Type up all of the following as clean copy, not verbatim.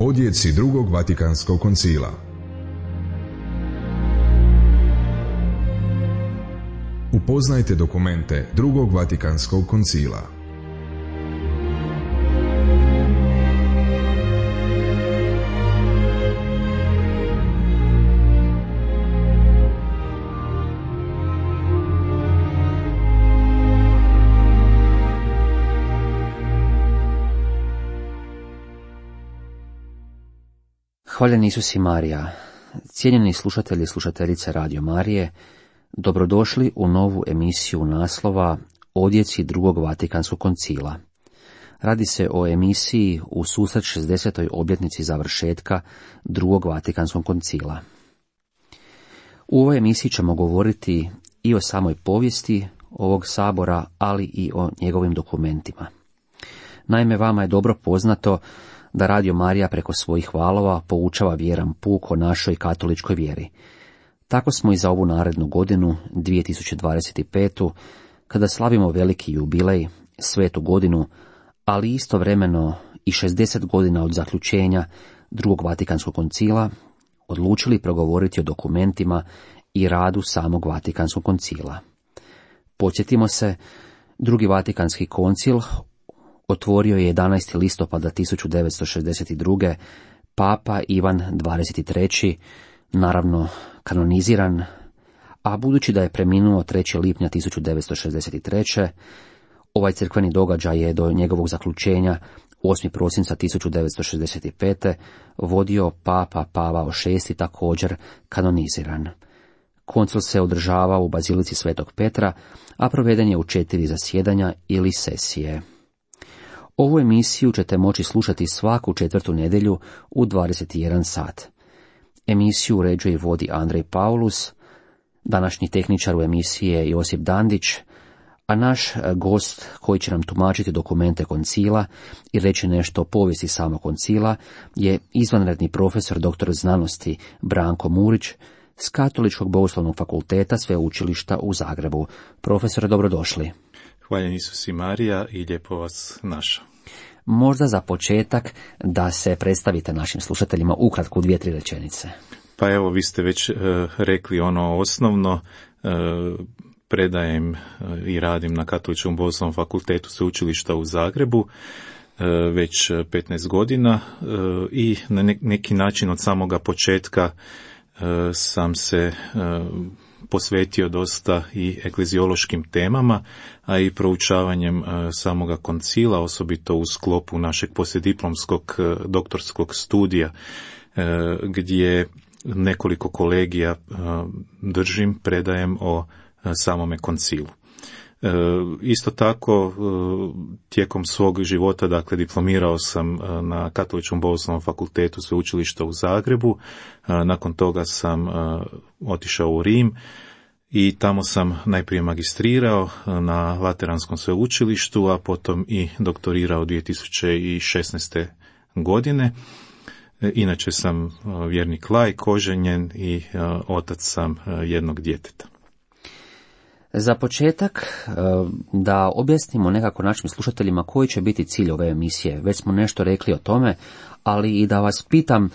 Odjeci drugog Vatikanskog koncila. Upoznajte dokumente drugog Vatikanskog koncila. Hvaljen Isus i Marija, cijenjeni slušatelji i slušateljice Radio Marije, dobrodošli u novu emisiju naslova Odjeci drugog Vatikanskog koncila. Radi se o emisiji u susret 60. obljetnici završetka drugog Vatikanskog koncila. U ovoj emisiji ćemo govoriti i o samoj povijesti ovog sabora, ali i o njegovim dokumentima. Naime, vama je dobro poznato da Radio Marija preko svojih valova poučava vjeran puk o našoj katoličkoj vjeri. Tako smo i za ovu narednu godinu, 2025. kada slavimo veliki jubilej, svetu godinu, ali istovremeno i 60 godina od zaključenja drugog Vatikanskog koncila, odlučili progovoriti o dokumentima i radu samog Vatikanskog koncila. Podsjetimo se, drugi Vatikanski koncil otvorio je 11. listopada 1962. Papa Ivan XXIII, naravno kanoniziran, a budući da je preminuo 3. lipnja 1963. ovaj crkveni događaj je do njegovog zaključenja 8. prosinca 1965. vodio Papa Pavao VI, također kanoniziran. Koncil se održavao u Bazilici Svetog Petra, a proveden je u 4 zasjedanja ili sesije. Ovu emisiju ćete moći slušati svaku 4. nedjelju u 21 sat. Emisiju uređuje i vodi Andrej Paulus, današnji tehničar u emisiji je Josip Dandić, a naš gost koji će nam tumačiti dokumente koncila i reći nešto o povijesti samog koncila je izvanredni profesor dr. znanosti Branko Murić s Katoličkog bogoslovnog fakulteta Sveučilišta u Zagrebu. Profesore, dobrodošli. Hvaljen Isus i Marija i lijepo vas našao. Možda za početak da se predstavite našim slušateljima ukratko u 2-3 rečenice. Pa evo, vi ste već rekli ono osnovno. Predajem i radim na Katoličkom bogoslovnom fakultetu Sveučilišta u Zagrebu već 15 godina i na neki način od samoga početka sam se posvetio dosta i ekleziološkim temama, a i proučavanjem samoga koncila, osobito u sklopu našeg poslijediplomskog doktorskog studija, gdje nekoliko kolegija držim, predajem o samome koncilu. Isto tako, tijekom svog života, dakle, diplomirao sam na Katoličkom bogoslovnom fakultetu Sveučilišta u Zagrebu. Nakon toga sam otišao u Rim i tamo sam najprije magistrirao na Lateranskom sveučilištu, a potom i doktorirao 2016. godine. Inače sam vjernik laik, oženjen i otac sam jednog djeteta. Za početak, da objasnimo nekako našim slušateljima koji će biti cilj ove emisije. Već smo nešto rekli o tome, ali i da vas pitam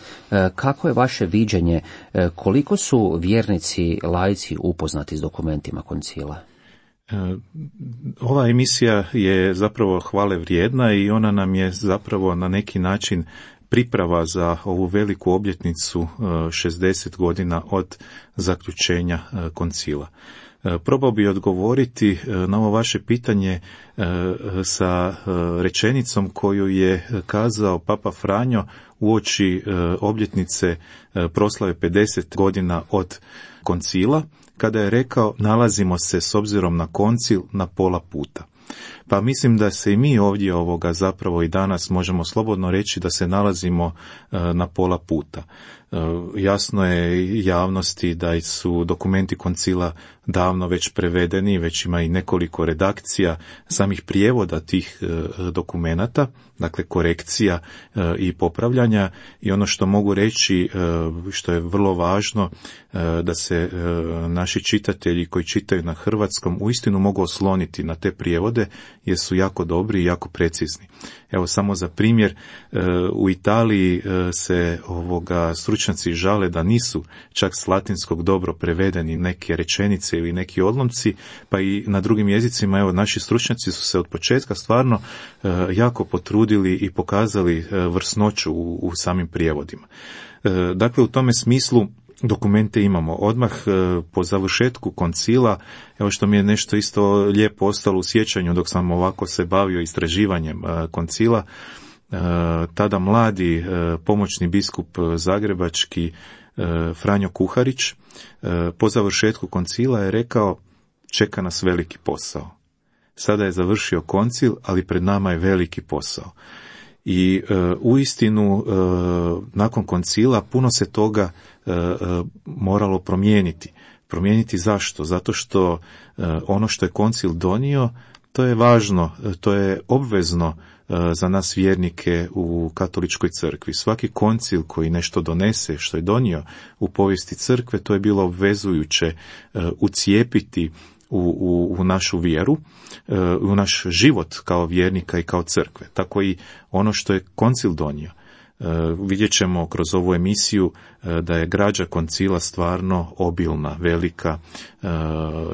kako je vaše viđenje, koliko su vjernici, laici upoznati s dokumentima koncila? Ova emisija je zapravo hvale vrijedna i ona nam je zapravo na neki način priprava za ovu veliku obljetnicu 60 godina od zaključenja koncila. Probao bi odgovoriti na ovo vaše pitanje sa rečenicom koju je kazao Papa Franjo uoči obljetnice proslave 50 godina od koncila, kada je rekao: nalazimo se s obzirom na koncil na pola puta. Pa mislim da se i mi ovdje zapravo i danas možemo slobodno reći da se nalazimo na pola puta. Jasno je javnosti da su dokumenti koncila davno već prevedeni, već ima i nekoliko redakcija samih prijevoda tih dokumenata, dakle korekcija i popravljanja, i ono što mogu reći, što je vrlo važno, da se naši čitatelji koji čitaju na hrvatskom uistinu mogu osloniti na te prijevode, jer su jako dobri i jako precizni. Evo samo za primjer, u Italiji se stručnjaci žale da nisu čak s latinskog dobro prevedeni neke rečenice ili neki odlomci, pa i na drugim jezicima. Evo, naši stručnjaci su se od početka stvarno jako potrudili i pokazali vrsnoću u samim prijevodima. Dakle, u tome smislu dokumente imamo. Odmah po završetku koncila, evo što mi je nešto isto lijepo ostalo u sjećanju dok sam ovako se bavio istraživanjem koncila, tada mladi pomoćni biskup zagrebački Franjo Kuharić po završetku koncila je rekao: čeka nas veliki posao. Sada je završio koncil, ali pred nama je veliki posao. I uistinu nakon koncila puno se toga moralo promijeniti. Promijeniti zašto? Zato što ono što je koncil donio, to je važno, to je obvezno za nas vjernike u katoličkoj crkvi. Svaki koncil koji nešto donese, što je donio u povijesti crkve, to je bilo obvezujuće ucijepiti u našu vjeru, u naš život kao vjernika i kao crkve. Tako i ono što je koncil donio. Vidjet ćemo kroz ovu emisiju da je građa koncila stvarno obilna, velika,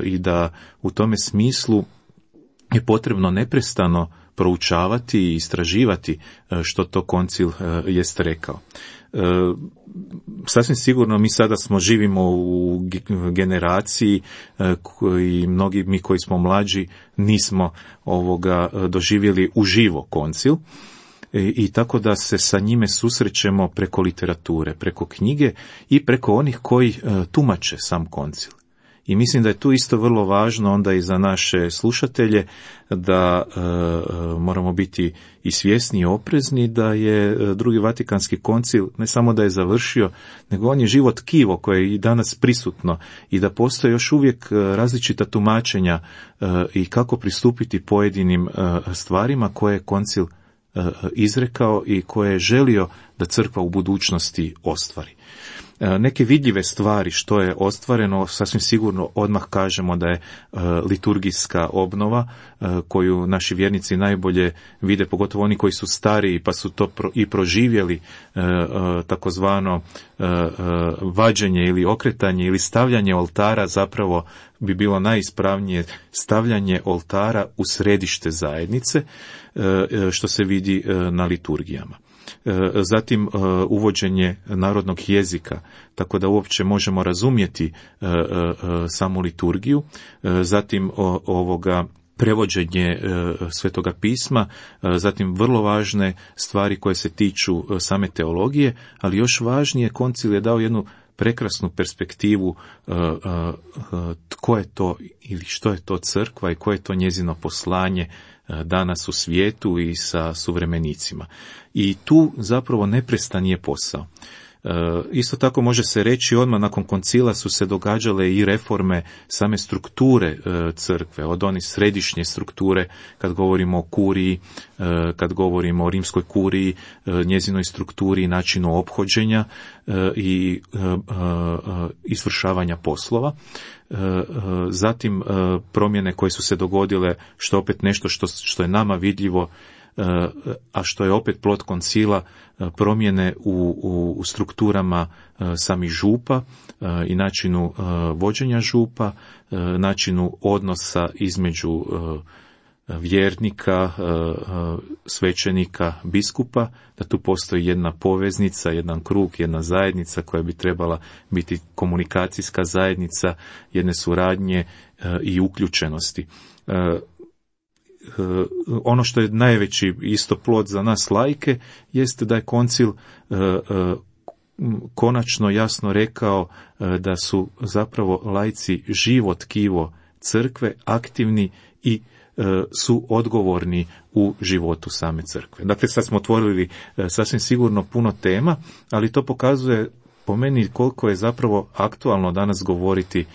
i da u tome smislu je potrebno neprestano proučavati i istraživati što to koncil jest rekao. Sasvim sigurno mi sada živimo u generaciji koji mnogi mi koji smo mlađi nismo doživjeli uživo koncil, i tako da se sa njime susrećemo preko literature, preko knjige i preko onih koji tumače sam koncil. I mislim da je tu isto vrlo važno onda i za naše slušatelje da moramo biti i svjesni i oprezni da je Drugi Vatikanski koncil ne samo da je završio, nego on je živo tkivo koje je i danas prisutno i da postoje još uvijek različita tumačenja i kako pristupiti pojedinim stvarima koje je koncil izrekao i koje je želio da crkva u budućnosti ostvari. Neke vidljive stvari što je ostvareno, sasvim sigurno odmah kažemo da je liturgijska obnova koju naši vjernici najbolje vide, pogotovo oni koji su stariji pa su to i proživjeli, takozvano vađenje ili okretanje ili stavljanje oltara, zapravo bi bilo najispravnije stavljanje oltara u središte zajednice, što se vidi na liturgijama. Zatim uvođenje narodnog jezika, tako da uopće možemo razumjeti samu liturgiju, zatim prevođenje Svetoga pisma, zatim vrlo važne stvari koje se tiču same teologije, ali još važnije, koncil je dao jednu prekrasnu perspektivu tko je to ili što je to crkva i koje je to njezino poslanje danas u svijetu i sa suvremenicima. I tu zapravo neprestan je posao. Isto tako može se reći, odmah nakon koncila su se događale i reforme same strukture crkve, od onih središnje strukture, kad govorimo o kuriji, kad govorimo o rimskoj kuriji, njezinoj strukturi i načinu ophođenja i izvršavanja poslova. Zatim promjene koje su se dogodile, što opet nešto što je nama vidljivo, a što je opet plod koncila, promjene u strukturama samih župa i načinu vođenja župa, načinu odnosa između vjernika, svećenika, biskupa, da tu postoji jedna poveznica, jedan krug, jedna zajednica koja bi trebala biti komunikacijska zajednica, jedne suradnje i uključenosti. Ono što je najveći isto plod za nas laike jeste da je koncil konačno jasno rekao da su zapravo laici živo tkivo crkve, aktivni i su odgovorni u životu same crkve. Dakle, sad smo otvorili sasvim sigurno puno tema, ali to pokazuje po meni koliko je zapravo aktualno danas govoriti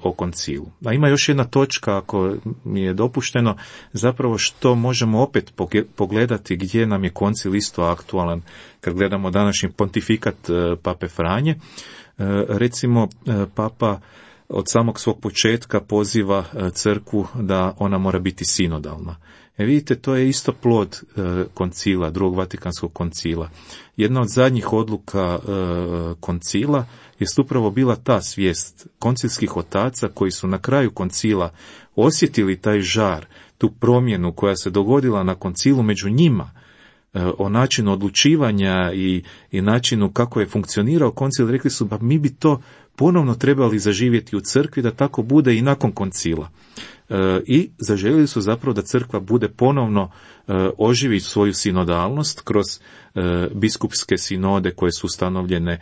o koncilu. A ima još jedna točka, ako mi je dopušteno, zapravo što možemo opet pogledati gdje nam je koncil isto aktualan kad gledamo današnji pontifikat Pape Franje. Recimo, Papa od samog svog početka poziva crkvu da ona mora biti sinodalna. Vidite, to je isto plod koncila, drugog Vatikanskog koncila. Jedna od zadnjih odluka koncila je upravo bila ta svijest koncilskih otaca koji su na kraju koncila osjetili taj žar, tu promjenu koja se dogodila na koncilu među njima, o načinu odlučivanja i načinu kako je funkcionirao koncil. Rekli su, pa mi bi to ponovno trebali zaživjeti u crkvi, da tako bude i nakon koncila. I zaželjeli su zapravo da crkva bude ponovno oživi svoju sinodalnost kroz biskupske sinode koje su ustanovljene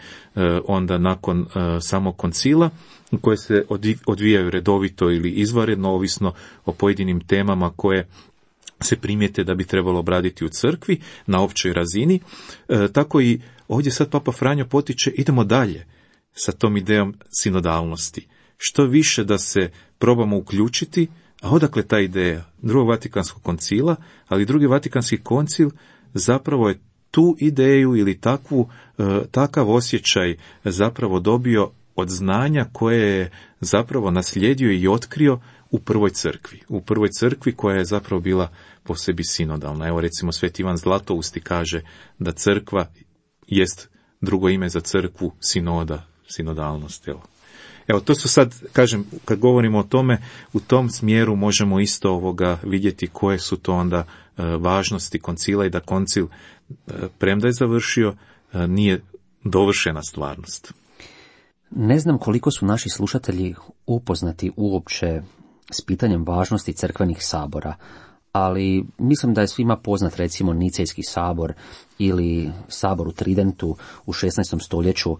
onda nakon samog koncila, koje se odvijaju redovito ili izvanredno, ovisno o pojedinim temama koje se primijete da bi trebalo obraditi u crkvi na općoj razini. Tako i ovdje sad Papa Franjo potiče, idemo dalje sa tom idejom sinodalnosti. Što više da se probamo uključiti, a odakle ta ideja drugog Vatikanskog koncila, ali drugi Vatikanski koncil zapravo je tu ideju ili takav osjećaj zapravo dobio od znanja koje je zapravo naslijedio i otkrio u prvoj crkvi. U prvoj crkvi koja je zapravo bila po sebi sinodalna. Evo recimo Sveti Ivan Zlatousti kaže da crkva jest drugo ime za crkvu sinoda, sinodalnost. Evo, to su sad, kažem, kad govorimo o tome, u tom smjeru možemo isto vidjeti koje su to onda važnosti koncila i da koncil, premda je završio, nije dovršena stvarnost. Ne znam koliko su naši slušatelji upoznati uopće s pitanjem važnosti crkvenih sabora, ali mislim da je svima poznat recimo Nicejski sabor ili sabor u Tridentu u 16. stoljeću.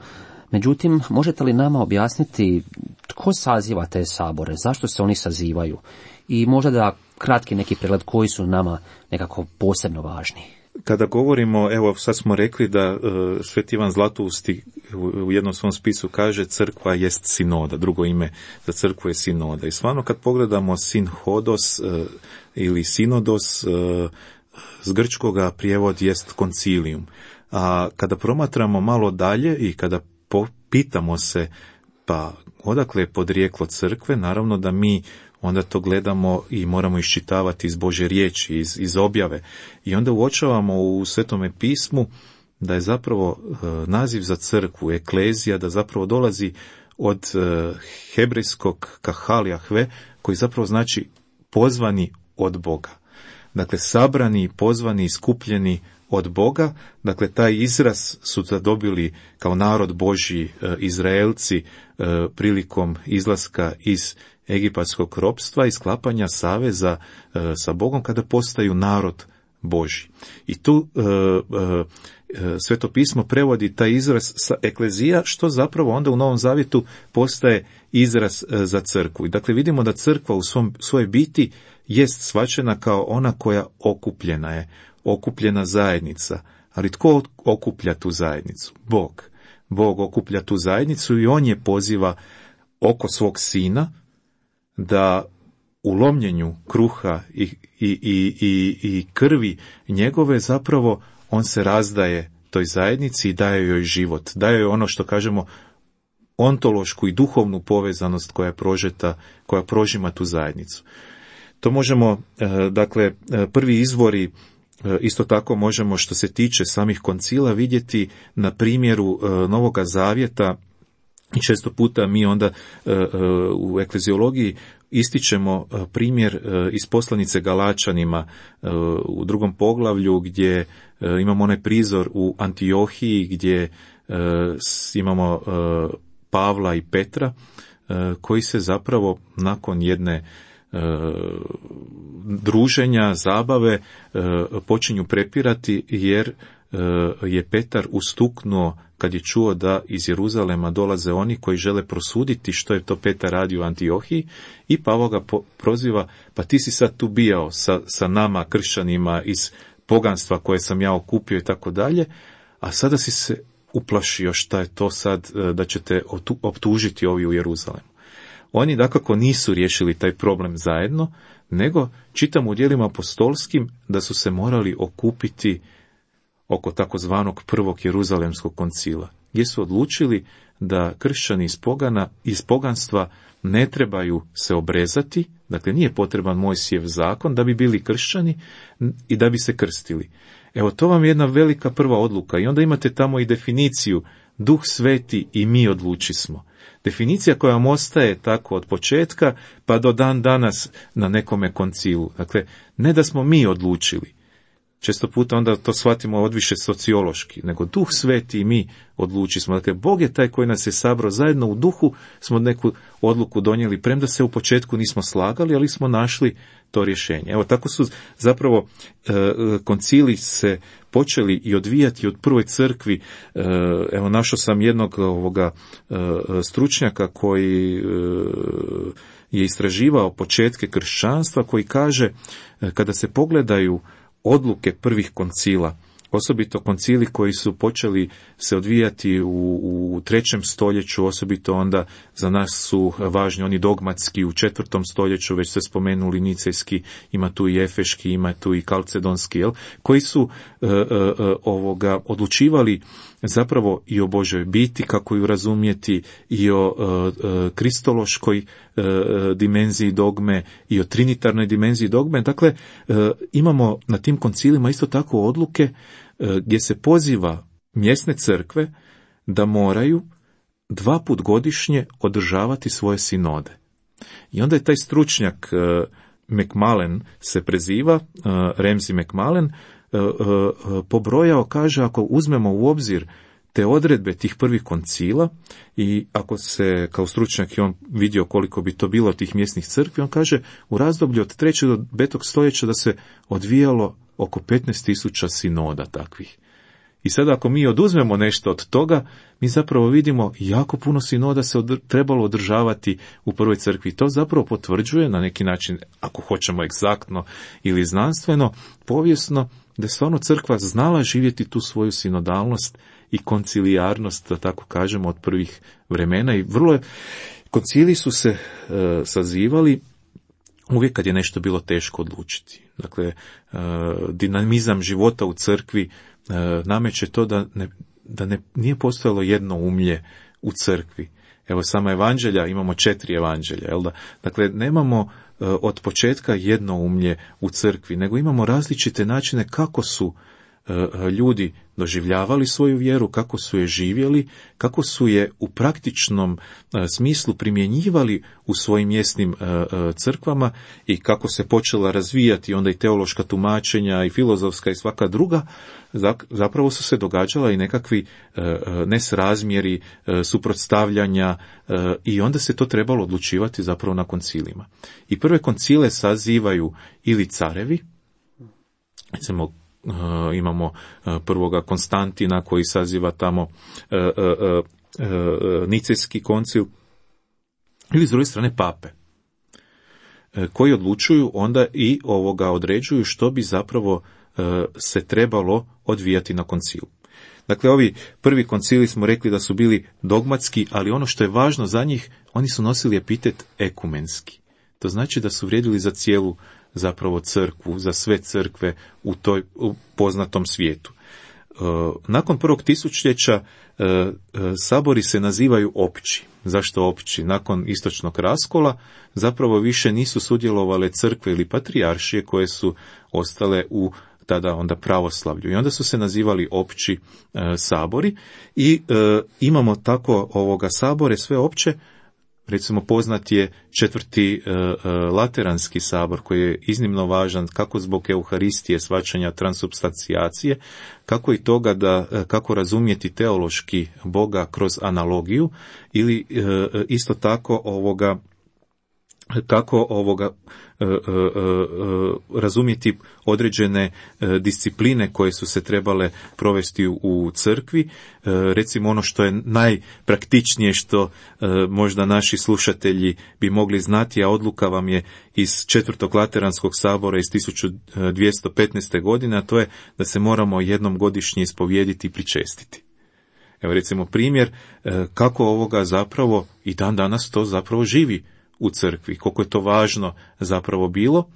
Međutim, možete li nama objasniti tko saziva te sabore, zašto se oni sazivaju i možda da kratki neki pregled koji su nama nekako posebno važni? Kada govorimo, evo sad smo rekli da Sveti Ivan Zlatousti u jednom svom spisu kaže crkva jest sinoda, drugo ime za crkvu je sinoda. I stvarno kad pogledamo sinhodos ili sinodos, s grčkoga prijevod jest koncilium. A kada promatramo malo dalje i kada pitamo se pa odakle je podrijeklo crkve, naravno da mi onda to gledamo i moramo iščitavati iz Božje riječi, iz objave. I onda uočavamo u Svetome pismu da je zapravo naziv za crkvu, eklezija, da zapravo dolazi od hebrejskog kahal Jahve, koji zapravo znači pozvani od Boga. Dakle, sabrani, pozvani, skupljeni od Boga. Dakle, taj izraz su zadobili kao narod Božji Izraelci prilikom izlaska iz egipatskog ropstva i sklapanja saveza sa Bogom kada postaju narod Božji. I tu Sveto pismo prevodi taj izraz sa eklezija, što zapravo onda u Novom Zavjetu postaje izraz za crkvu. I dakle vidimo da crkva u svojoj biti jest shvaćena kao ona koja okupljena je, okupljena zajednica. Ali tko okuplja tu zajednicu? Bog. Bog okuplja tu zajednicu i on je poziva oko svog sina da u lomljenju kruha i krvi njegove zapravo on se razdaje toj zajednici i daje joj život. Daje joj ono što kažemo ontološku i duhovnu povezanost koja je prožeta, koja prožima tu zajednicu. To možemo, dakle, prvi izvori isto tako možemo što se tiče samih koncila vidjeti na primjeru Novoga Zavjeta. I često puta mi onda u ekleziologiji ističemo primjer iz poslanice Galačanima u 2. poglavlju gdje imamo onaj prizor u Antiohiji gdje imamo Pavla i Petra koji se zapravo nakon jedne druženja, zabave počinju prepirati jer je Petar ustuknuo kad je čuo da iz Jeruzalema dolaze oni koji žele prosuditi što je to Petar radio u Antiohiji i Pavao ga proziva, pa ti si sad tu bijao sa nama kršćanima iz poganstva koje sam ja okupio i tako dalje, a sada si se uplašio šta je to sad da ćete optužiti ovi u Jeruzalemu. Oni dakako nisu riješili taj problem zajedno, nego čitamo u djelima apostolskim da su se morali okupiti oko takozvanog prvog Jeruzalemskog koncila, gdje su odlučili da kršćani iz poganstva ne trebaju se obrezati, dakle nije potreban Mojsijev zakon da bi bili kršćani i da bi se krstili. Evo, to vam je jedna velika prva odluka i onda imate tamo i definiciju Duh Sveti i mi odlučismo. Definicija koja vam ostaje tako od početka pa do dan danas na nekome koncilu. Dakle, ne da smo mi odlučili. Često puta onda to shvatimo odviše sociološki, nego Duh Sveti i mi odlučismo. Dakle, Bog je taj koji nas je sabrao zajedno u duhu, smo neku odluku donijeli, premda se u početku nismo slagali, ali smo našli to rješenje. Evo, tako su zapravo koncili se počeli i odvijati od prvoj crkvi. Evo, našao sam jednog stručnjaka koji je istraživao početke kršćanstva, koji kaže, kada se pogledaju odluke prvih koncila, osobito koncili koji su počeli se odvijati u 3. stoljeću, osobito onda za nas su važni oni dogmatski u 4. stoljeću, već ste spomenuli nicejski, ima tu i efeški, ima tu i kalcedonski, koji su odlučivali zapravo i o Božoj biti, kako ju razumjeti, i o kristološkoj dimenziji dogme, i o trinitarnoj dimenziji dogme. Dakle, imamo na tim koncilima isto tako odluke gdje se poziva mjesne crkve da moraju 2 put godišnje održavati svoje sinode. I onda je taj stručnjak McMullen se preziva, Ramsey McMullen, pobrojao, kaže, ako uzmemo u obzir te odredbe tih prvih koncila i ako se kao stručnjak i on vidio koliko bi to bilo tih mjesnih crkvi, on kaže u razdoblju od 3. do 5. stoljeća da se odvijalo oko 15.000 sinoda takvih. I sada ako mi oduzmemo nešto od toga, mi zapravo vidimo jako puno sinoda se trebalo održavati u prvoj crkvi. To zapravo potvrđuje na neki način, ako hoćemo egzaktno ili znanstveno, povijesno, da je stvarno crkva znala živjeti tu svoju sinodalnost i koncilijarnost, da tako kažemo, od prvih vremena. I koncili su se sazivali uvijek kad je nešto bilo teško odlučiti. Dakle, dinamizam života u crkvi nameće to da nije postojalo jedno umlje u crkvi. Evo, sama evanđelja, imamo 4 evanđelja, jel da? Dakle, nemamo od početka jedno umlje u crkvi, nego imamo različite načine kako su ljudi doživljavali svoju vjeru, kako su je živjeli, kako su je u praktičnom smislu primjenjivali u svojim mjesnim crkvama i kako se počela razvijati onda i teološka tumačenja i filozofska i svaka druga. Zapravo su se događala i nekakvi nesrazmjeri, suprotstavljanja i onda se to trebalo odlučivati zapravo na koncilima. I prve koncile sazivaju ili carevi, recimo imamo prvoga Konstantina koji saziva tamo nicejski koncil, ili s druge strane pape, koji odlučuju onda i određuju što bi zapravo se trebalo odvijati na koncilu. Dakle, ovi prvi koncili smo rekli da su bili dogmatski, ali ono što je važno za njih, oni su nosili epitet ekumenski. To znači da su vrijedili za cijelu zapravo crkvu, za sve crkve u poznatom svijetu. Nakon prvog tisućljeća sabori se nazivaju opći. Zašto opći? Nakon istočnog raskola zapravo više nisu sudjelovale crkve ili patrijaršije koje su ostale u tada onda pravoslavlju. I onda su se nazivali opći sabori i imamo tako sabore sve opće. Recimo, poznat je 4. Lateranski sabor koji je iznimno važan kako zbog euharistije, shvaćanja transubstancijacije, kako i toga kako razumjeti teološki Boga kroz analogiju ili isto tako razumjeti određene discipline koje su se trebale provesti u crkvi. Recimo ono što je najpraktičnije, što možda naši slušatelji bi mogli znati, a odluka vam je iz 4. Lateranskog sabora iz 1215. godine, a to je da se moramo jednom godišnje ispovijediti i pričestiti. Evo recimo primjer kako ovoga zapravo i dan danas to zapravo živi u crkvi, koliko je to važno zapravo bilo,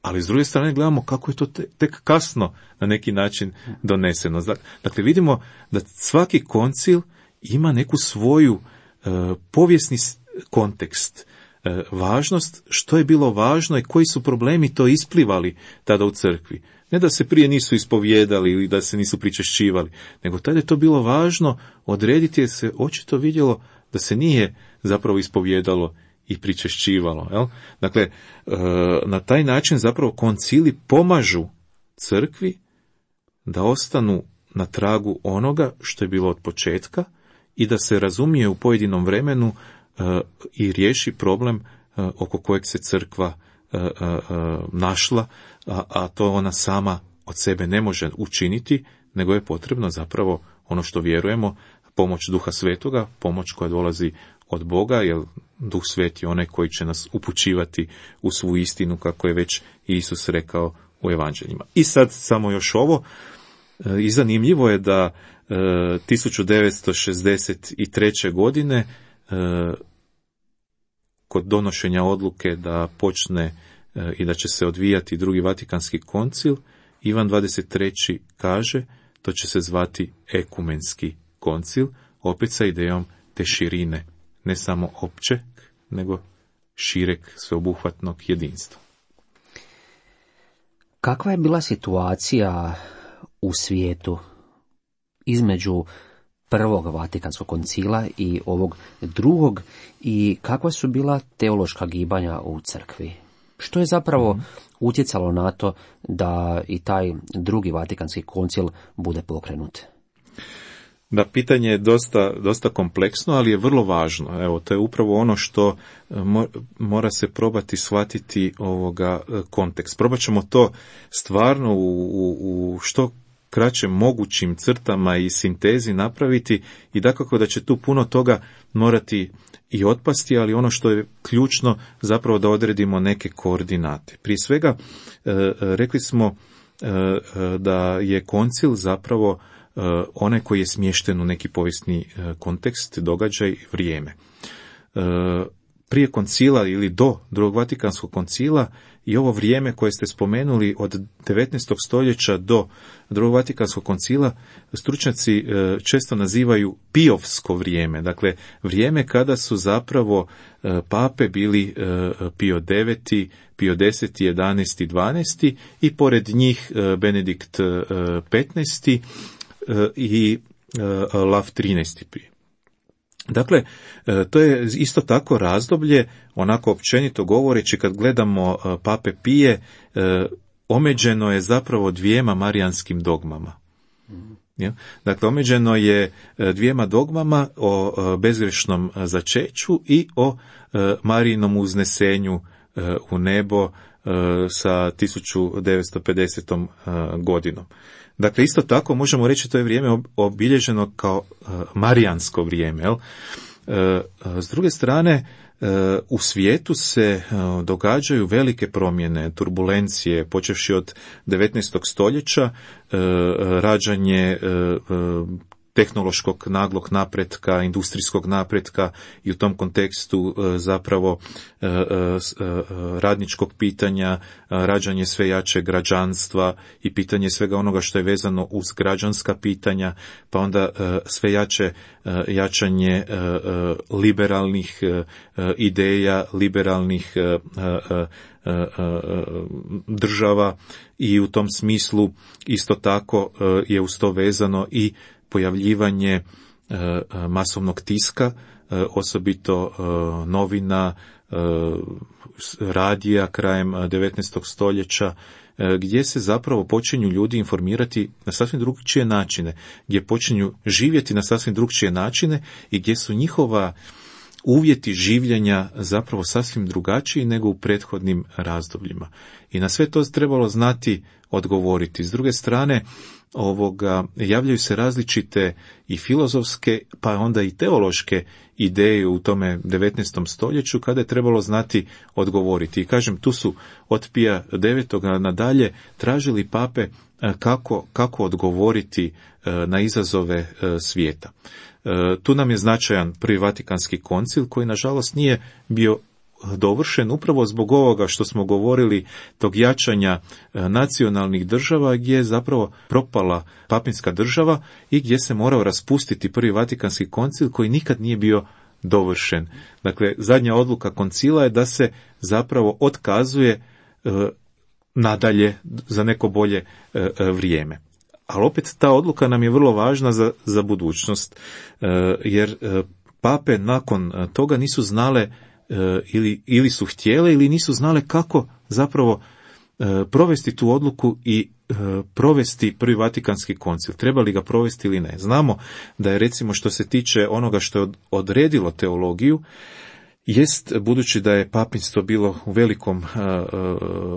ali s druge strane gledamo kako je to tek kasno na neki način doneseno. Dakle, vidimo da svaki koncil ima neku svoju povijesni kontekst, važnost, što je bilo važno i koji su problemi to isplivali tada u crkvi. Ne da se prije nisu ispovijedali ili da se nisu pričešćivali, nego tada je to bilo važno odrediti jer se očito vidjelo da se nije zapravo ispovijedalo i pričešćivalo. Jel? Dakle, na taj način zapravo koncili pomažu crkvi da ostanu na tragu onoga što je bilo od početka i da se razumije u pojedinom vremenu i riješi problem oko kojeg se crkva našla, a to ona sama od sebe ne može učiniti, nego je potrebno zapravo ono što vjerujemo, pomoć Duha Svetoga, pomoć koja dolazi od Boga, jer Duh Sveti je onaj koji će nas upućivati u svu istinu, kako je već Isus rekao u evanđeljima. I sad samo još ovo, i zanimljivo je da 1963. godine kod donošenja odluke da počne i da će se odvijati drugi Vatikanski koncil, Ivan 23. kaže to će se zvati ekumenski koncil, opet sa idejom te širine, ne samo općeg, nego šireg sveobuhvatnog jedinstva. Kakva je bila situacija u svijetu između prvog Vatikanskog koncila i ovog drugog i kakva su bila teološka gibanja u crkvi? Što je zapravo utjecalo na to da i taj drugi Vatikanski koncil bude pokrenut? Da, pitanje je dosta kompleksno, ali je vrlo važno. Evo, to je upravo ono što mora se probati shvatiti ovoga kontekst. Probat ćemo to stvarno u što kraćem mogućim crtama i sintezi napraviti i dakako da će tu puno toga morati i otpasti, ali ono što je ključno zapravo da odredimo neke koordinate. Prije svega, rekli smo da je koncil zapravo onaj koji je smješten u neki povijesni kontekst, događaj, vrijeme. Prije koncila ili do drugog Vatikanskog koncila i ovo vrijeme koje ste spomenuli od 19. stoljeća do drugog Vatikanskog koncila stručnjaci često nazivaju Pijovsko vrijeme, dakle vrijeme kada su zapravo pape bili Pio IX, Pio X, 11, 12 i pored njih Benedikt XV i Lav XIII prije. Dakle, to je isto tako razdoblje, onako općenito govoreći, kad gledamo pape Pije, omeđeno je zapravo dvijema marijanskim dogmama. Dakle, omeđeno je dvijema dogmama o bezgrešnom začeću i o Marijinom uznesenju u nebo sa 1950. godinom. Dakle, isto tako možemo reći to je vrijeme obilježeno kao marijansko vrijeme. Jel? S druge strane, u svijetu se događaju velike promjene, turbulencije, počevši od 19. stoljeća, rađanje tehnološkog naglog napretka, industrijskog napretka i u tom kontekstu zapravo radničkog pitanja, rađanje sve jače građanstva i pitanje svega onoga što je vezano uz građanska pitanja, pa onda sve jačanje liberalnih ideja, liberalnih država i u tom smislu isto tako je uz to vezano i pojavljivanje masovnog tiska, osobito novina, radija krajem 19. stoljeća, gdje se zapravo počinju ljudi informirati na sasvim drugčije načine, gdje počinju živjeti na sasvim drugčije načine i gdje su njihova uvjeti življenja zapravo sasvim drugačiji nego u prethodnim razdobljima. I na sve to trebalo znati odgovoriti. S druge strane, javljaju se različite i filozofske, pa onda i teološke ideje u tome 19. stoljeću kada je trebalo znati odgovoriti. I kažem, tu su od Pija IX. Nadalje tražili pape kako odgovoriti na izazove svijeta. Tu nam je značajan Prvi Vatikanski koncil koji nažalost nije bio dovršen upravo zbog ovoga što smo govorili, tog jačanja nacionalnih država gdje je zapravo propala papinska država i gdje se morao raspustiti Prvi Vatikanski koncil koji nikad nije bio dovršen. Dakle, zadnja odluka koncila je da se zapravo otkazuje nadalje za neko bolje vrijeme. Ali opet ta odluka nam je vrlo važna za budućnost, jer pape nakon toga nisu znale ili su htjele ili nisu znale kako zapravo provesti tu odluku i provesti Prvi Vatikanski koncil. Treba li ga provesti ili ne? Znamo da je, recimo, što se tiče onoga što je odredilo teologiju, jest, budući da je papinstvo bilo u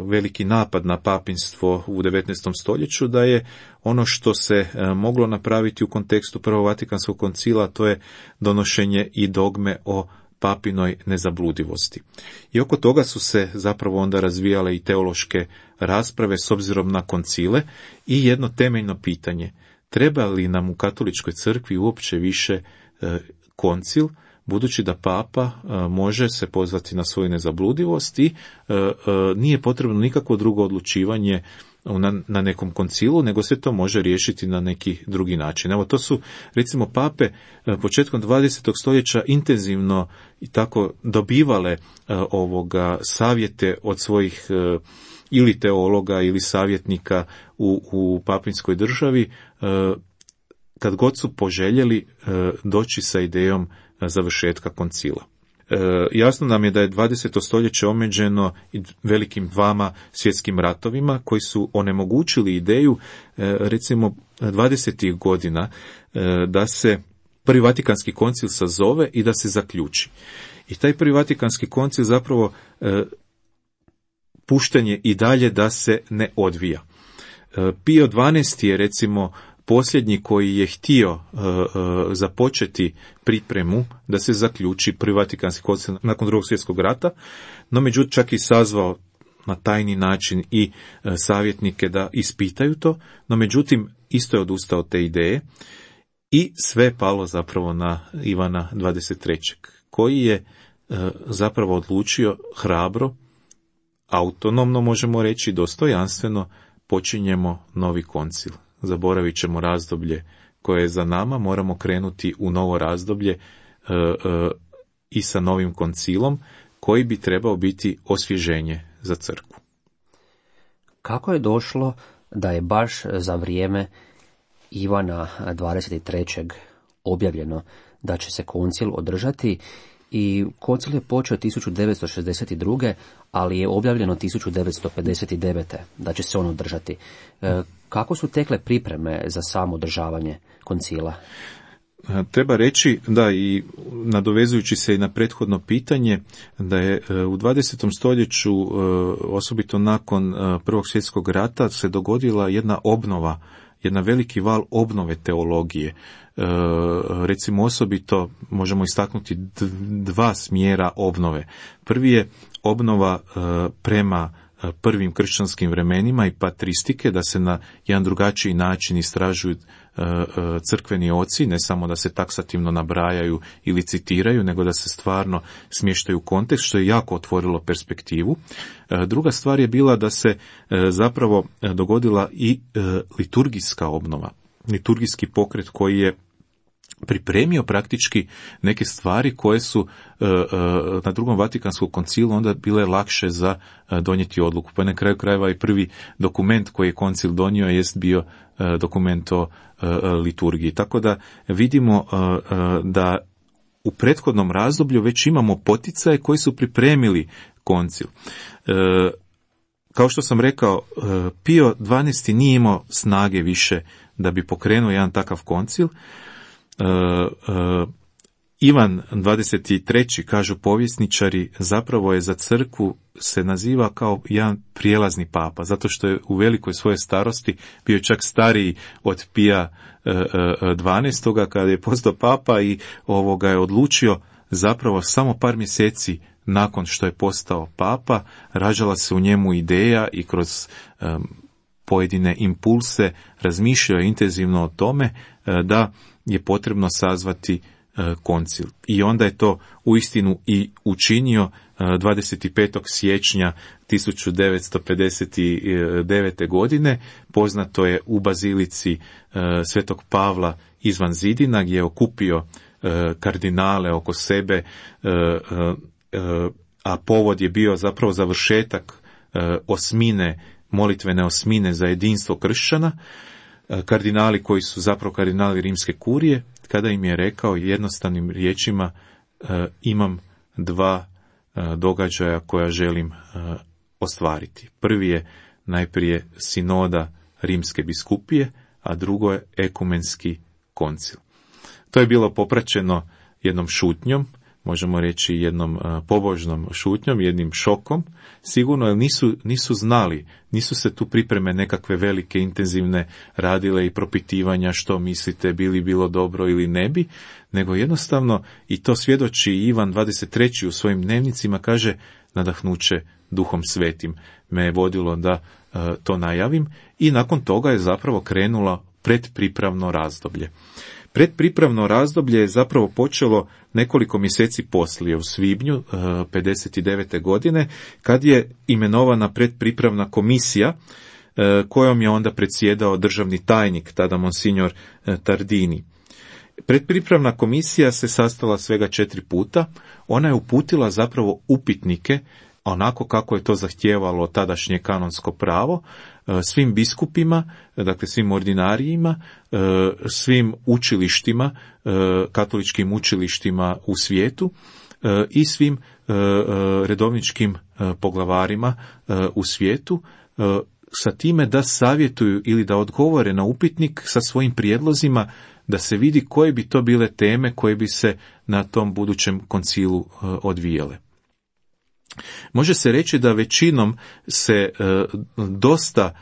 veliki napad na papinstvo u 19. stoljeću, da je ono što se moglo napraviti u kontekstu Prvog Vatikanskog koncila, to je donošenje i dogme o papinoj nezabludivosti. I oko toga su se zapravo onda razvijale i teološke rasprave s obzirom na koncile i jedno temeljno pitanje: treba li nam u katoličkoj crkvi uopće više koncil, budući da papa može se pozvati na svoju nezabludivost i nije potrebno nikakvo drugo odlučivanje na nekom koncilu, nego se to može riješiti na neki drugi način. Evo, to su, recimo, pape početkom 20. stoljeća intenzivno i tako dobivale savjete od svojih ili teologa ili savjetnika u papinskoj državi, kad god su poželjeli doći sa idejom završetka koncila. Jasno nam je da je 20. stoljeće omeđeno velikim dvama svjetskim ratovima koji su onemogućili ideju, recimo 20. godina, da se Prvi Vatikanski koncil sazove i da se zaključi. I taj Prvi Vatikanski koncil zapravo pušten je i dalje da se ne odvija. Pio XII. Je, recimo, posljednji koji je htio započeti pripremu da se zaključi Prvi Vatikanski koncil nakon Drugog svjetskog rata, no međutim čak i sazvao na tajni način i savjetnike da ispitaju to, no međutim isto je odustao od te ideje i sve je palo zapravo na Ivana XXIII. Koji je zapravo odlučio hrabro, autonomno, možemo reći, dostojanstveno, počinjemo novi koncil. Zaboravit ćemo razdoblje koje je za nama, moramo krenuti u novo razdoblje i sa novim koncilom koji bi trebao biti osvježenje za crkvu. Kako je došlo da je baš za vrijeme Ivana XXIII. Objavljeno da će se koncil održati, i koncil je počeo 1962. ali je objavljeno 1959. da će se on održati. Kako su tekle pripreme za samo održavanje koncila? Treba reći da, i nadovezujući se i na prethodno pitanje, da je u 20. stoljeću, osobito nakon Prvog svjetskog rata, se dogodila jedna obnova, jedan veliki val obnove teologije. Recimo, osobito možemo istaknuti dva smjera obnove. Prvi je obnova prema prvim kršćanskim vremenima i patristike, da se na jedan drugačiji način istražuju crkveni oci, ne samo da se taksativno nabrajaju ili citiraju, nego da se stvarno smještaju u kontekst, što je jako otvorilo perspektivu. Druga stvar je bila da se zapravo dogodila i liturgijska obnova, liturgijski pokret koji je pripremio praktički neke stvari koje su na Drugom Vatikanskom koncilu onda bile lakše za donijeti odluku. Pa na kraju krajeva i prvi dokument koji je koncil donio jest bio dokument o liturgiji. Tako da vidimo da u prethodnom razdoblju već imamo poticaje koji su pripremili koncil. Kao što sam rekao, Pio XII. Nije imao snage više da bi pokrenuo jedan takav koncil. Ivan XXIII., kažu povjesničari, zapravo je za crkvu se naziva kao jedan prijelazni papa, zato što je u velikoj svojoj starosti bio čak stariji od Pija XII. Kada je postao papa i je odlučio zapravo samo par mjeseci nakon što je postao papa, rađala se u njemu ideja i kroz pojedine impulse razmišljao intenzivno o tome da je potrebno sazvati koncil. I onda je to uistinu i učinio 25. siječnja 1959. godine. Poznato je u bazilici Svetog Pavla izvan zidina, gdje je okupio kardinale oko sebe, a povod je bio zapravo završetak molitvene osmine za jedinstvo kršćana, kardinali koji su zapravo kardinali rimske kurije, kada im je rekao jednostavnim riječima: imam dva događaja koja želim ostvariti. Prvi je najprije sinoda rimske biskupije, a drugo je ekumenski koncil. To je bilo popraćeno jednom šutnjom, možemo reći jednom pobožnom šutnjom, jednim šokom, sigurno, jer nisu znali, nisu se tu pripreme nekakve velike, intenzivne radile i propitivanja što mislite, bi li bilo dobro ili ne bi, nego jednostavno, i to svjedoči Ivan 23. u svojim dnevnicima, kaže: nadahnuće Duhom Svetim me je vodilo da to najavim, i nakon toga je zapravo krenulo predpripravno razdoblje. Predpripravno razdoblje je zapravo počelo nekoliko mjeseci poslije, u svibnju 59. godine, kad je imenovana predpripravna komisija, kojom je onda predsjedao državni tajnik, tada monsignor Tardini. Predpripravna komisija se sastala svega 4 puta. Ona je uputila zapravo upitnike, onako kako je to zahtijevalo tadašnje kanonsko pravo, svim biskupima, dakle svim ordinarijima, svim učilištima, katoličkim učilištima u svijetu i svim redovničkim poglavarima u svijetu, sa time da savjetuju ili da odgovore na upitnik sa svojim prijedlozima, da se vidi koje bi to bile teme koje bi se na tom budućem koncilu odvijale. Može se reći da većinom se dosta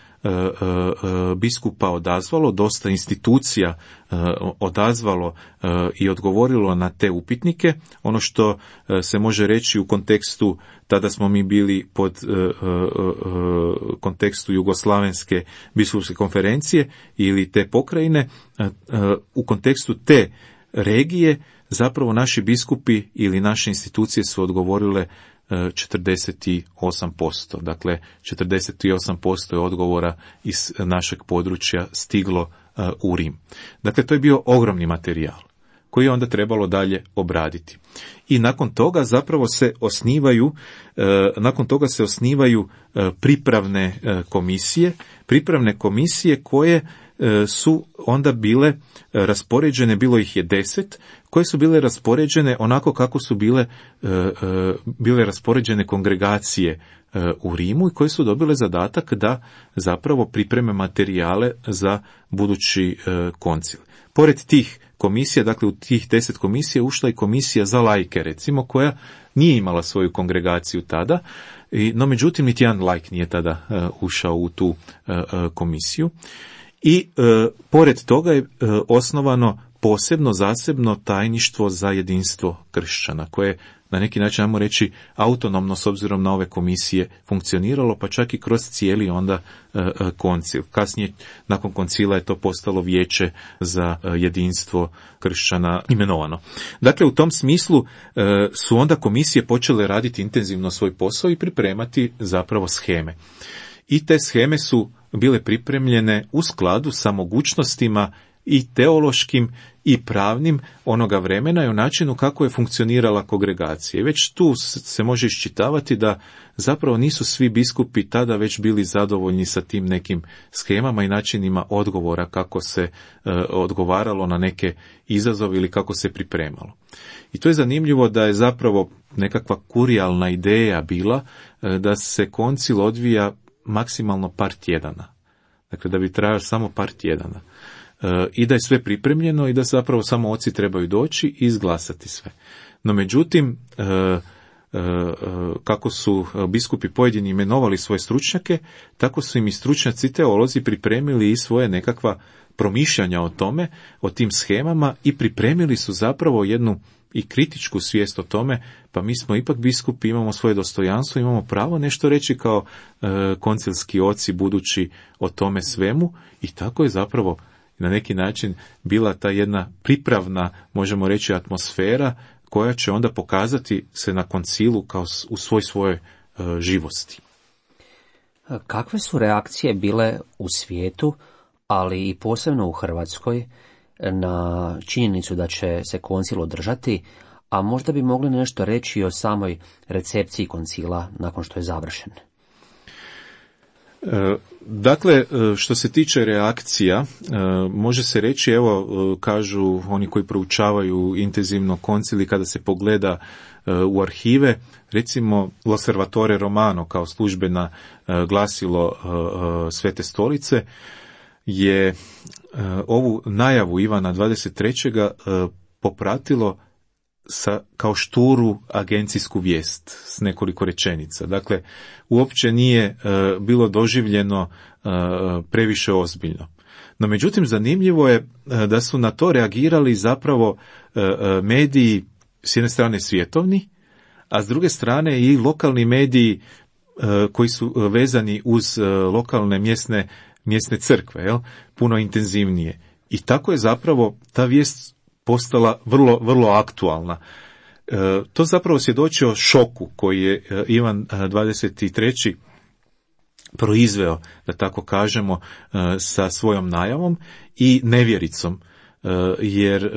biskupa odazvalo, dosta institucija odazvalo i odgovorilo na te upitnike. Ono što se može reći u kontekstu, tada smo mi bili pod kontekstu Jugoslavenske biskupske konferencije ili te pokrajine, u kontekstu te regije zapravo naši biskupi ili naše institucije su odgovorile 48%. Dakle, 48% je odgovora iz našeg područja stiglo u Rim. Dakle, to je bio ogromni materijal koji je onda trebalo dalje obraditi. I nakon toga zapravo se osnivaju pripravne komisije koje su onda bile raspoređene, bilo ih je 10, koje su bile raspoređene onako kako su bile raspoređene kongregacije u Rimu i koje su dobile zadatak da zapravo pripreme materijale za budući koncil. Pored tih komisija, dakle u tih 10 komisija ušla i komisija za laike, recimo, koja nije imala svoju kongregaciju tada, no međutim niti jedan laik nije tada ušao u tu komisiju. I pored toga je osnovano posebno zasebno tajništvo za jedinstvo kršćana, koje na neki način, ajmo reći, autonomno s obzirom na ove komisije funkcioniralo, pa čak i kroz cijeli onda koncil. Kasnije, nakon koncila, je to postalo vijeće za jedinstvo kršćana imenovano. Dakle, u tom smislu su onda komisije počele raditi intenzivno svoj posao i pripremati zapravo sheme. I te sheme su bile pripremljene u skladu sa mogućnostima i teološkim i pravnim onoga vremena i u načinu kako je funkcionirala kongregacija. I već tu se može iščitavati da zapravo nisu svi biskupi tada već bili zadovoljni sa tim nekim shemama i načinima odgovora, kako se odgovaralo na neke izazove ili kako se pripremalo. I to je zanimljivo da je zapravo nekakva kurijalna ideja bila da se koncil odvija maksimalno par tjedana. Dakle, da bi trajao samo par tjedana. I da je sve pripremljeno i da zapravo samo oci trebaju doći i izglasati sve. No međutim, kako su biskupi pojedini imenovali svoje stručnjake, tako su im i stručnjaci teolozi pripremili i svoje nekakva promišljanja o tome, o tim shemama i pripremili su zapravo jednu i kritičku svijest o tome, pa mi smo ipak biskupi, imamo svoje dostojanstvo, imamo pravo nešto reći kao koncilski oci budući o tome svemu i tako je zapravo na neki način bila ta jedna pripravna, možemo reći, atmosfera koja će onda pokazati se na koncilu kao u svojoj živosti. Kakve su reakcije bile u svijetu, ali i posebno u Hrvatskoj, na činjenicu da će se koncil održati, a možda bi mogli nešto reći o samoj recepciji koncila nakon što je završen? Dakle, što se tiče reakcija, može se reći, evo, kažu oni koji proučavaju intenzivno koncil i kada se pogleda u arhive, recimo L'Osservatore Romano kao službena glasilo Svete stolice je ovu najavu Ivana 23. popratilo kao šturu agencijsku vijest s nekoliko rečenica. Dakle, uopće nije bilo doživljeno previše ozbiljno. No, međutim, zanimljivo je da su na to reagirali zapravo mediji, s jedne strane svjetovni, a s druge strane i lokalni mediji koji su vezani uz lokalne mjesne crkve, puno intenzivnije. I tako je zapravo ta vijest postala vrlo, vrlo aktualna. To zapravo svjedoči o šoku koji je Ivan 23. proizveo, da tako kažemo, sa svojom najavom i nevjericom. Jer,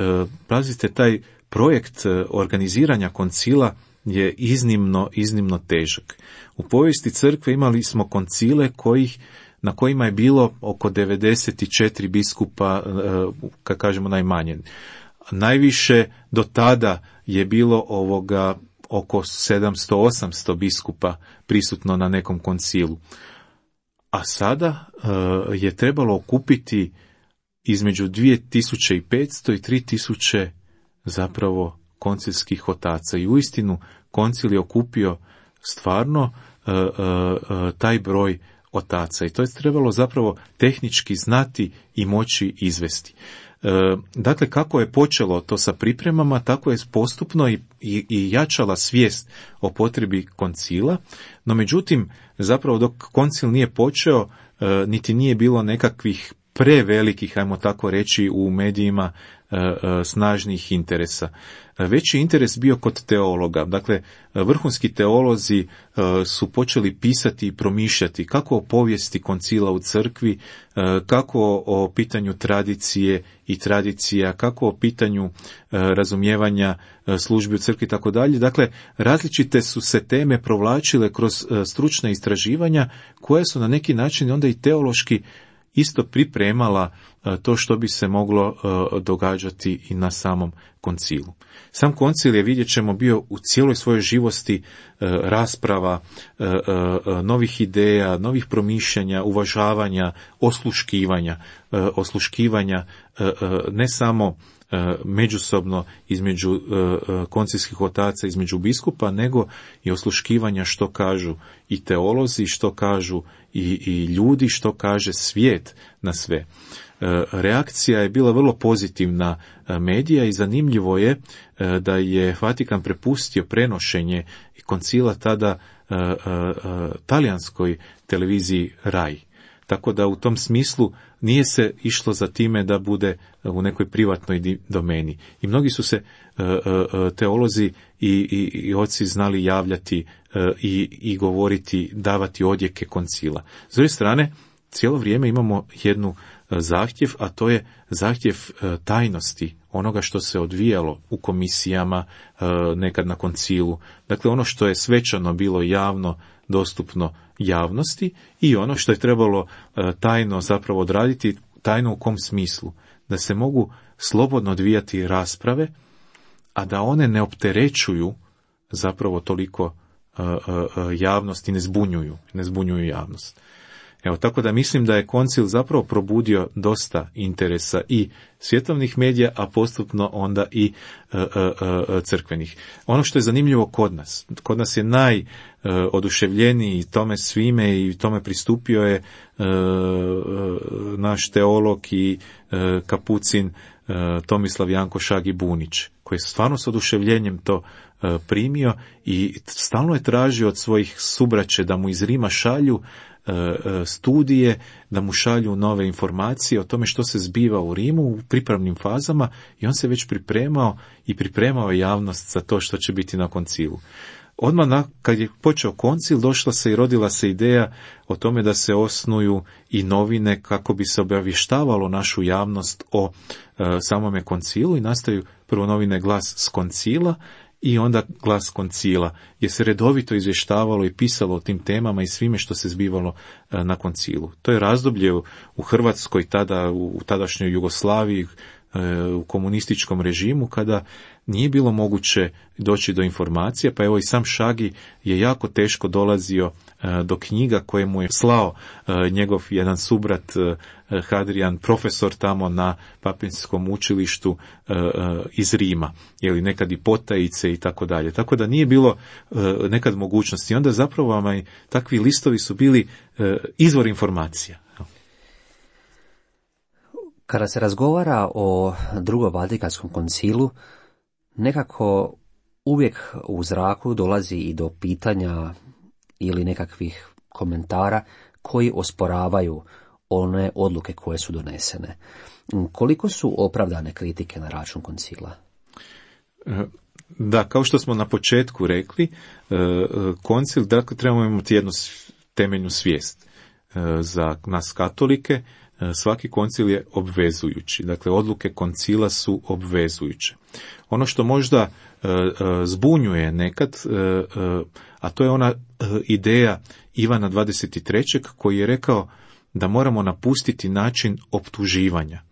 pazite, taj projekt organiziranja koncila je iznimno težak. U povijesti crkve imali smo koncile na kojima je bilo oko 94 biskupa, kad kažemo najmanje. Najviše do tada je bilo oko 700-800 biskupa prisutno na nekom koncilu. A sada je trebalo okupiti između 2500 i 3000 zapravo koncilskih otaca. I uistinu koncil je okupio stvarno taj broj otaca. I to je trebalo zapravo tehnički znati i moći izvesti. Dakle, kako je počelo to sa pripremama, tako je postupno i jačala svijest o potrebi koncila, no međutim, zapravo dok koncil nije počeo, niti nije bilo nekakvih prevelikih, ajmo tako reći, u medijima snažnih interesa. Veći interes bio kod teologa. Dakle, vrhunski teolozi su počeli pisati i promišljati kako o povijesti koncila u crkvi, kako o pitanju tradicije i tradicija, kako o pitanju razumijevanja službi u crkvi i tako dalje. Dakle, različite su se teme provlačile kroz stručna istraživanja koje su na neki način onda i teološki isto pripremala to što bi se moglo događati i na samom koncilu. Sam koncil je, vidjet ćemo, bio u cijeloj svojoj živosti rasprava, novih ideja, novih promišljanja, uvažavanja, osluškivanja ne samo međusobno između koncilskih otaca, između biskupa, nego i osluškivanja što kažu i teolozi, što kažu i ljudi, što kaže svijet na sve. Reakcija je bila vrlo pozitivna medija i zanimljivo je da je Vatikan prepustio prenošenje koncila tada talijanskoj televiziji RAI. Tako da u tom smislu nije se išlo za time da bude u nekoj privatnoj domeni. I mnogi su se teolozi i oci znali javljati i govoriti, davati odjeke koncila. S druge strane, cijelo vrijeme imamo jednu zahtjev, a to je zahtjev tajnosti onoga što se odvijalo u komisijama nekad na koncilu. Dakle, ono što je svečano bilo javno dostupno javnosti i ono što je trebalo tajno zapravo odraditi, tajno u kom smislu? Da se mogu slobodno odvijati rasprave, a da one ne opterećuju zapravo toliko javnost i ne zbunjuju javnost. Evo, tako da mislim da je koncil zapravo probudio dosta interesa i svjetovnih medija, a postupno onda i crkvenih. Ono što je zanimljivo kod nas je najoduševljeniji tome svime i tome pristupio je naš teolog i kapucin Tomislav Janko Šagi Bunić, koji je stvarno s oduševljenjem to primio i stalno je tražio od svojih subraće da mu iz Rima šalju studije, da mu šalju nove informacije o tome što se zbiva u Rimu u pripravnim fazama, i on se već pripremao javnost za to što će biti na koncilu. Odmah kad je počeo koncil, došla se i rodila se ideja o tome da se osnuju i novine kako bi se obavještavalo našu javnost o samome koncilu, i nastaju prvo novine Glas s koncila i onda Glas koncila, gdje se redovito izvještavalo i pisalo o tim temama i svime što se zbivalo na koncilu. To je razdoblje u Hrvatskoj, tada u tadašnjoj Jugoslaviji, u komunističkom režimu, kada nije bilo moguće doći do informacija, pa evo i sam Šagi je jako teško dolazio do knjiga koje mu je slao njegov jedan subrat Hadrian, profesor tamo na Papinskom učilištu iz Rima, nekad i potajice i tako dalje. Tako da nije bilo nekad mogućnosti. Onda zapravo takvi listovi su bili izvor informacija. Kada se razgovara o Drugom Vatikanskom koncilu, nekako uvijek u zraku dolazi i do pitanja ili nekakvih komentara koji osporavaju one odluke koje su donesene. Koliko su opravdane kritike na račun koncila? Da, kao što smo na početku rekli, koncil, dakle, trebamo imati jednu temeljnu svijest. Za nas katolike svaki koncil je obvezujući. Dakle, odluke koncila su obvezujuće. Ono što možda zbunjuje nekad, a to je ona ideja Ivana 23. koji je rekao da moramo napustiti način optuživanja.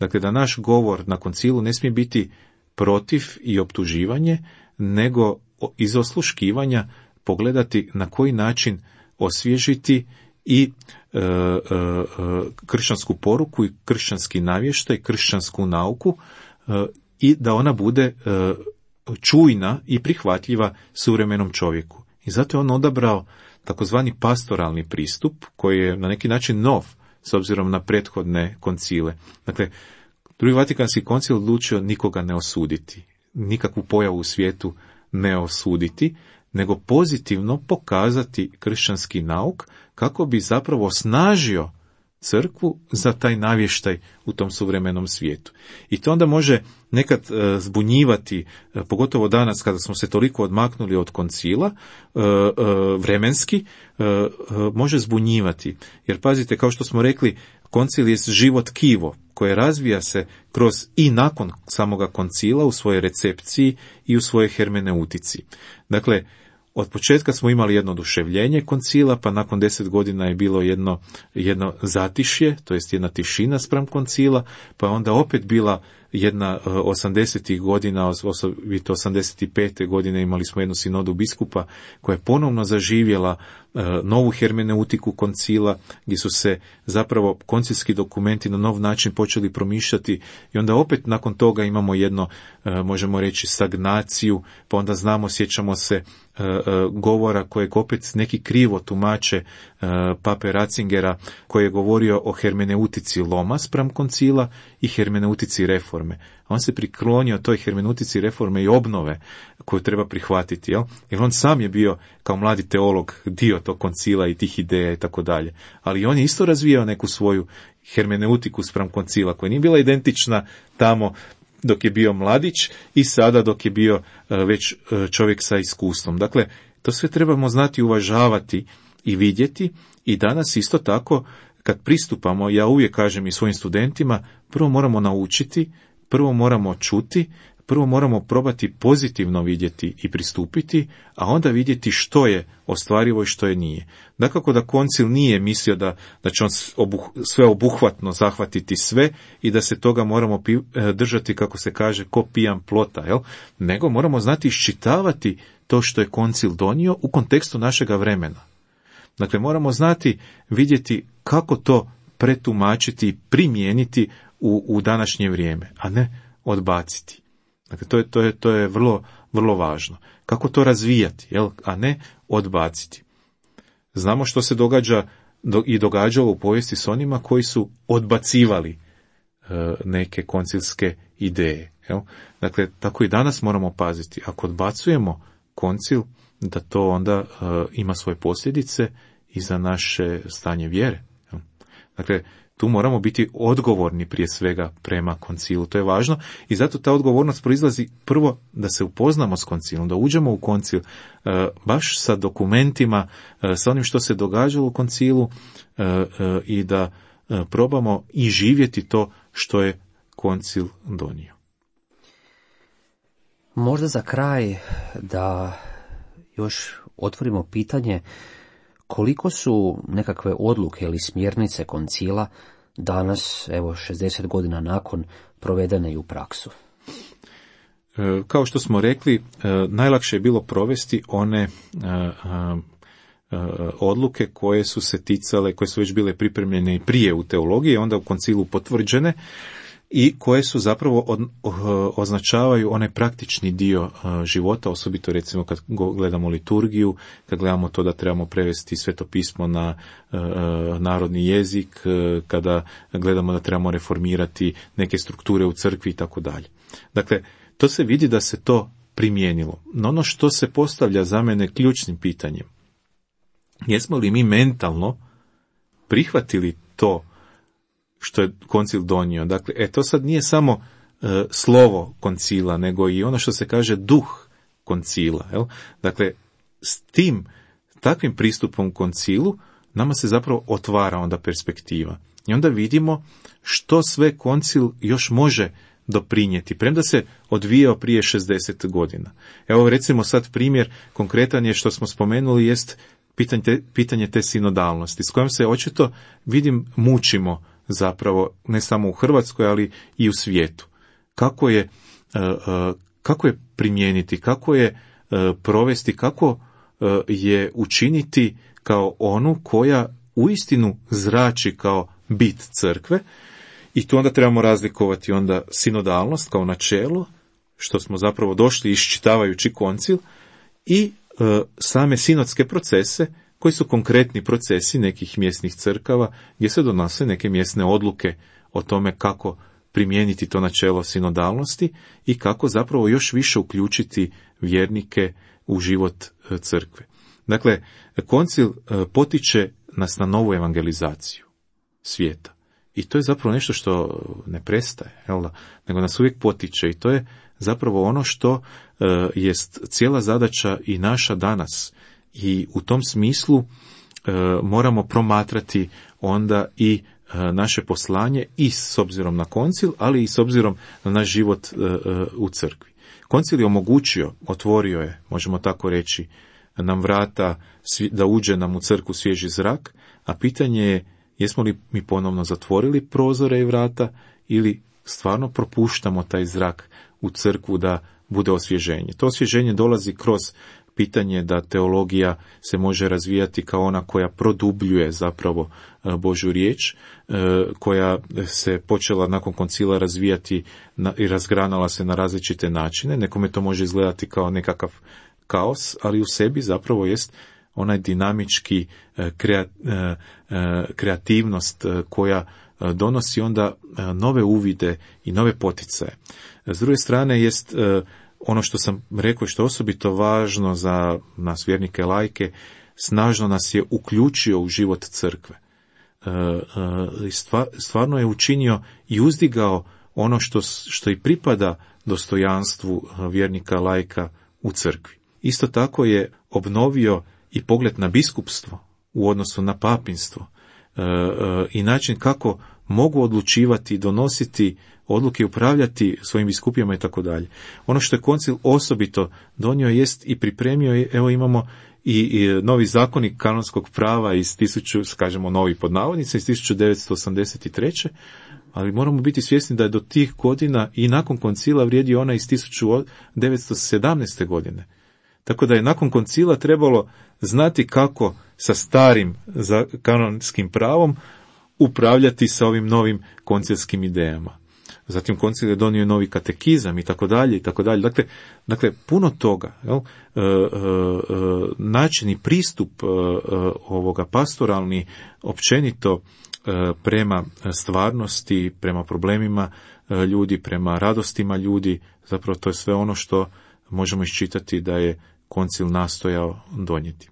Dakle, da naš govor na koncilu ne smije biti protiv i optuživanje, nego iz osluškivanja pogledati na koji način osvježiti i kršćansku poruku i kršćanski navještaj, kršćansku nauku, i da ona bude čujna i prihvatljiva suvremenom čovjeku. I zato je on odabrao takozvani pastoralni pristup, koji je na neki način nov s obzirom na prethodne koncile. Dakle, Drugi Vatikanski koncil odlučio nikoga ne osuditi, nikakvu pojavu u svijetu ne osuditi, nego pozitivno pokazati kršćanski nauk kako bi zapravo osnažio crkvu za taj navještaj u tom suvremenom svijetu. I to onda može nekad zbunjivati, pogotovo danas kada smo se toliko odmaknuli od koncila, vremenski, može zbunjivati. Jer pazite, kao što smo rekli, koncil je život tkivo koje razvija se kroz i nakon samoga koncila u svojoj recepciji i u svojoj hermeneutici. Dakle, od početka smo imali jedno oduševljenje koncila, pa nakon 10 godina je bilo jedno zatišje, to jest jedna tišina spram koncila, pa je onda opet bila jedna 80. godina, osobito 85. godine imali smo jednu sinodu biskupa koja je ponovno zaživjela novu hermeneutiku koncila, gdje su se zapravo koncilski dokumenti na nov način počeli promišljati, i onda opet nakon toga imamo jedno, možemo reći, stagnaciju, pa onda sjećamo se govora kojeg opet neki krivo tumače pape Ratzingera, koji je govorio o hermeneutici loma spram koncila i hermeneutici reforme. On se priklonio toj hermeneutici reforme i obnove koju treba prihvatiti, jer on sam je bio kao mladi teolog dio tog koncila i tih ideja i tako dalje. Ali on je isto razvijao neku svoju hermeneutiku spram koncila koja nije bila identična tamo dok je bio mladić i sada dok je bio već čovjek sa iskustvom. Dakle, to sve trebamo znati, uvažavati i vidjeti, i danas isto tako kad pristupamo, ja uvijek kažem i svojim studentima, prvo moramo naučiti, prvo moramo čuti, prvo moramo probati pozitivno vidjeti i pristupiti, a onda vidjeti što je ostvarivo i što je nije. Dakako da koncil nije mislio da će on sve obuhvatno zahvatiti sve i da se toga moramo držati, kako se kaže, ko pijan plota, nego moramo znati iščitavati to što je koncil donio u kontekstu našega vremena. Dakle, moramo znati, vidjeti kako to pretumačiti i primijeniti u današnje vrijeme, a ne odbaciti. Dakle, to je vrlo, vrlo važno. Kako to razvijati, a ne odbaciti. Znamo što se događa i događalo u povijesti s onima koji su odbacivali neke koncilske ideje. Dakle, tako i danas moramo paziti. Ako odbacujemo koncil, da to onda ima svoje posljedice i za naše stanje vjere. Dakle, tu moramo biti odgovorni prije svega prema koncilu. To je važno i zato ta odgovornost proizlazi prvo da se upoznamo s koncilom, da uđemo u koncil baš sa dokumentima, sa onim što se događalo u koncilu i da probamo i živjeti to što je koncil donio. Možda za kraj da još otvorimo pitanje koliko su nekakve odluke ili smjernice koncila danas, evo 60 godina nakon, provedene i u praksu. Kao što smo rekli, najlakše je bilo provesti one odluke koje su se ticale, koje su već bile pripremljene i prije u teologiji, onda u koncilu potvrđene i koje su zapravo označavaju onaj praktični dio života, osobito recimo kad gledamo liturgiju, kad gledamo to da trebamo prevesti Sveto pismo na narodni jezik, kada gledamo da trebamo reformirati neke strukture u crkvi i tako dalje. Dakle, to se vidi da se to primijenilo. No ono što se postavlja za mene ključnim pitanjem, jesmo li mi mentalno prihvatili to što je koncil donio? Dakle, to sad nije samo slovo koncila, nego i ono što se kaže duh koncila. Dakle, s takvim pristupom koncilu nama se zapravo otvara onda perspektiva. I onda vidimo što sve koncil još može doprinijeti, premda se odvijao prije 60 godina. Evo recimo sad primjer konkretan je što smo spomenuli jest pitanje te sinodalnosti, s kojom se očito mučimo zapravo ne samo u Hrvatskoj, ali i u svijetu. Kako je primijeniti, kako je provesti, kako je učiniti kao onu koja uistinu zrači kao bit crkve. I tu onda trebamo razlikovati onda sinodalnost kao načelo, što smo zapravo došli iščitavajući koncil, i same sinodske procese, koji su konkretni procesi nekih mjesnih crkava, gdje se donose neke mjesne odluke o tome kako primijeniti to načelo sinodalnosti i kako zapravo još više uključiti vjernike u život crkve. Dakle, koncil potiče nas na novu evangelizaciju svijeta. I to je zapravo nešto što ne prestaje, nego nas uvijek potiče i to je zapravo ono što jest cijela zadaća i naša danas. I u tom smislu moramo promatrati onda i naše poslanje i s obzirom na koncil, ali i s obzirom na naš život u crkvi. Koncil je omogućio, otvorio je, možemo tako reći, nam vrata da uđe nam u crkvu svježi zrak, a pitanje je jesmo li mi ponovno zatvorili prozore i vrata ili stvarno propuštamo taj zrak u crkvu da bude osvježenje. To osvježenje dolazi kroz pitanje da teologija se može razvijati kao ona koja produbljuje zapravo Božju riječ, koja se počela nakon koncila razvijati i razgranala se na različite načine. Nekome to može izgledati kao nekakav kaos, ali u sebi zapravo jest onaj dinamički kreativnost koja donosi onda nove uvide i nove poticaje. S druge strane jest ono što sam rekao što je osobito važno za nas vjernike laike, snažno nas je uključio u život crkve. Stvarno je učinio i uzdigao ono što i pripada dostojanstvu vjernika laika u crkvi. Isto tako je obnovio i pogled na biskupstvo u odnosu na papinstvo i način kako mogu odlučivati, donositi odluke, upravljati svojim biskupijama i tako dalje. Ono što je koncil osobito donio jest i pripremio, evo imamo i novi zakonik kanonskog prava iz novi pod navodnicima, iz 1983. Ali moramo biti svjesni da je do tih godina i nakon koncila vrijedio ona iz 1917. godine. Tako da je nakon koncila trebalo znati kako sa starim kanonskim pravom upravljati sa ovim novim koncilskim idejama. Zatim koncil je donio novi katekizam i tako dalje i tako dalje. Dakle, puno toga. Način i pristup ovoga pastoralni općenito prema stvarnosti, prema problemima ljudi, prema radostima ljudi, zapravo to je sve ono što možemo iščitati da je koncil nastojao donijeti.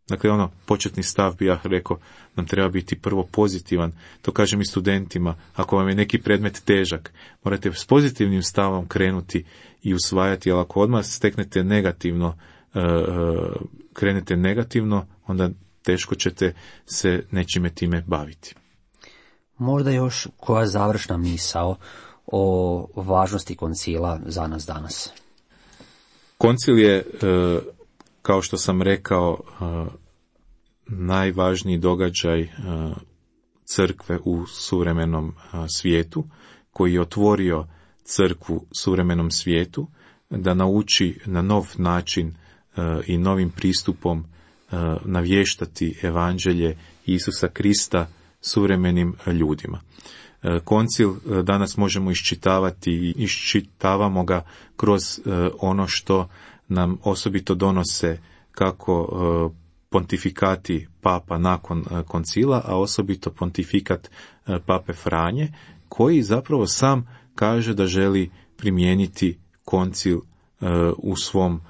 Dakle, početni stav bi ja rekao, nam treba biti prvo pozitivan. To kažem i studentima, ako vam je neki predmet težak, morate s pozitivnim stavom krenuti i usvajati, ali ako odmah steknete negativno, krenete negativno, onda teško ćete se nečime time baviti. Možda još koja završna misao o važnosti koncila za nas danas? Koncil je, kao što sam rekao, najvažniji događaj crkve u suvremenom svijetu, koji je otvorio crkvu suvremenom svijetu, da nauči na nov način i novim pristupom navještati evanđelje Isusa Krista suvremenim ljudima. Koncil danas možemo iščitavati i iščitavamo ga kroz ono što nam osobito donose kako pontifikati papa nakon koncila, a osobito pontifikat pape Franje, koji zapravo sam kaže da želi primijeniti koncil u svom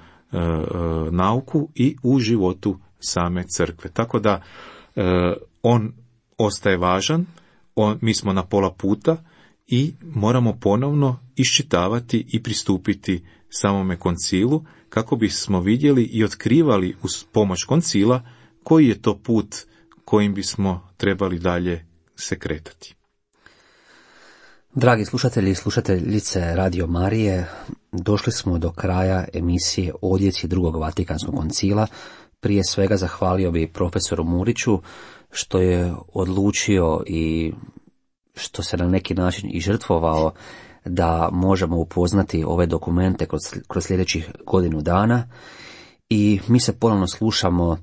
nauku i u životu same crkve. Tako da on ostaje važan, mi smo na pola puta i moramo ponovno iščitavati i pristupiti samome koncilu kako bismo vidjeli i otkrivali uz pomoć koncila koji je to put kojim bismo trebali dalje se kretati. Dragi slušatelji i slušateljice Radio Marije, došli smo do kraja emisije Odjeci Drugog Vatikanskog koncila. Prije svega zahvalio bi profesoru Muriću što je odlučio i što se na neki način i žrtvovao da možemo upoznati ove dokumente kroz sljedećih godinu dana. I mi se ponovno slušamo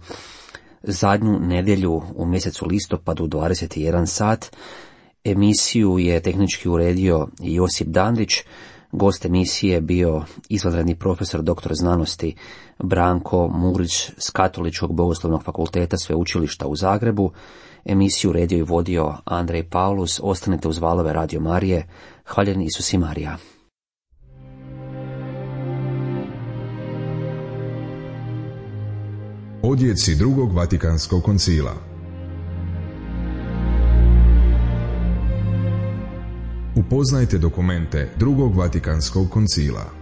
zadnju nedjelju u mjesecu listopadu 21 sat. Emisiju je tehnički uredio Josip Dandić. Gost emisije je bio izvanredni profesor doktor znanosti Branko Murić s Katoličkog bogoslovnog fakulteta Sveučilišta u Zagrebu. Emisiju uredio i vodio Andrej Paulus. Ostanite uz valove Radio Marije. Hvaljen Isus i Marija. Odjeci Drugog Vatikanskog koncila. Upoznajte dokumente Drugog Vatikanskog koncila.